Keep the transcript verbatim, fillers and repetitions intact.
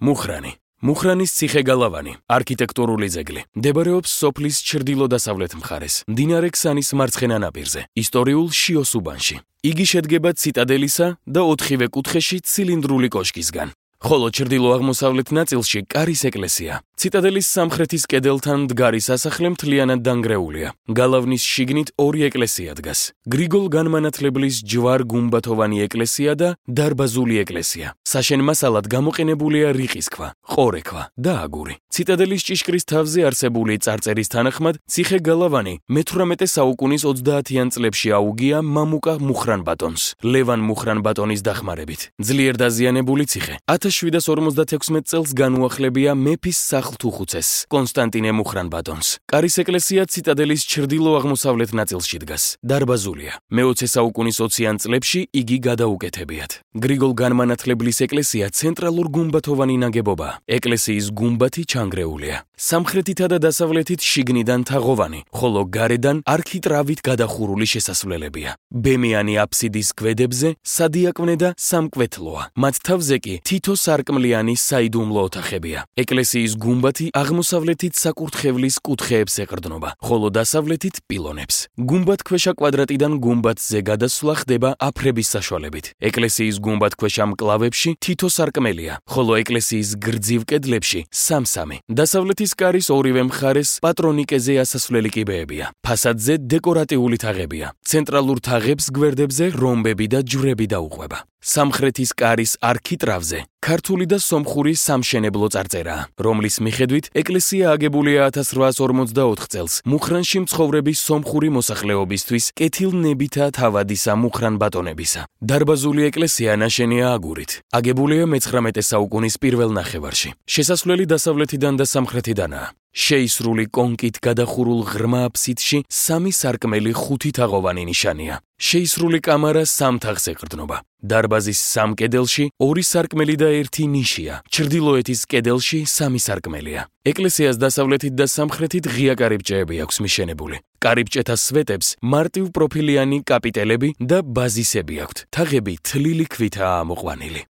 მუხრანი. მუხრანის ციხე-გალავანი, არქიტექტურული ძეგლი. მდებარეობს სოფლის ჩრდილო-დასავლეთ მხარეს, მდინარე ქსანის მარცხენა ნაპირზე, ისტორიულ შიოს უბანში. იგი შედგება ციტადელისა და ოთხივე კუთხეში ცილინდრული კოშკისგან. ხოლო ჩრდილო-აღმოსავლეთ ნაწილში კარის ეკლესია. ციტადელის სამხრეთის კედელთან მდგარი სასახლე მთლიანად დანგრეულია. გალავნის შიგნით ორი ეკლესია დგას. გრიგოლ განმანათლებლის ჯვარ-გუმბათოვანი ეკლესია და დარბაზული ეკლესია. საშენ მასალად გამოყენებულია რიყის ქვა, ყორექვა და აგური. ციტადელის ჭიშკრის თავზე არსებული წარწერის თანახმად, ციხე-გალავანი მეთვრამეტე საუკუნის ოცდაათიან წლებში აუგია მამუკა მუხრან-ბატონს, ლევან მუხრან-ბატონის დახმარებით. ძლიერ დაზიანებული ციხე. ათას შვიდას ორმოცდათექვსმეტ წელს განუახლებია მეფის სახლთუხუცეს, კონსტანტინე მუხრან-ბატონს. კარის ეკლესია ციტადელის ჩრდილო-აღმოსავლეთ ნაწილში დგას. დარბაზულია. მეოცე საუკუნის ოციან წლებში იგი გადაუკეთებიათ. გრიგოლ განმანათლებლის ეკლესია ცენტრალურ გუმბათოვანი ნაგებობაა. ეკლესიის გუმბათი ჩანგრეულია. სამხრეთითა და დასავლეთით შიგნიდან თაღოვანი, ხოლო გარედან არქიტრავით გადახურული შესასვლელებია. ბემიანი აფსიდის გვედებზე სადიაკვნე და სამკვეთლოა. მათ თავზე კი თითო სარკმლიანი საიდუმლო ოთახებია. ეკლესიის გუმბათი აღმოსავლეთით საკურთხევლის კუთხეებს ეყრდნობა, ხოლო დასავლეთით პილონებს. გუმბათქვეშა კვადრატიდან გუმბათზე გადასვლა ხდება აფრების საშუალებით. ეკლესიის გუმბათქვეშა მკლავებში თითო სარკმელია, ხოლო ეკლესიის გრძივ კედლებში სამ-სამი. დასავლეთის კარის ორივე მხარეს პატრონიკეზე ასასვლელი კიბეებია. ფასადზე დეკორატიული თაღებია. ცენტრალურ თაღებს გვერდებზე რომბები და ჯვრები დაუყვება. სამხრეთის კარის არქიტრავზე ქართული და სომხური სამშენებლო წარწერაა, რომლის მიხედვით ეკლესია აგებულია ათას რვაას ორმოცდაოთხ წელს მუხრანში მცხოვრების სომხური მოსახლეობისთვის კეთილნებითა თავადისა მუხრან-ბატონებისა. დარბაზული ეკლესია ნაშენია აგურით. აგებულია მეცხრამეტე საუკუნის პირველ ნახევარში. შესასვლელი დასავლეთიდან და სამხრეთიდანაა. შეისრული კონკით გადახურულ ღრმა აფსიდში სამი სარკმელი ხუთი თაღოვანი ნიშანია. შეისრული კამარა სამ თაღს ეყრდნობა. დარბაზის სამ კედელში ორი სარკმელი და ერთი ნიშია. ჩრდილოეთის კედელში სამი სარკმელია. ეკლესიას დასავლეთით და სამხრეთით ღია კარიბჭეები აქვს მიშენებული. კარიბჭეთა სვეტებს მარტივპროფილიანი კაპიტელები და ბაზისები აქვთ. თაღები თლილი ქვითაა ამოყვანილი.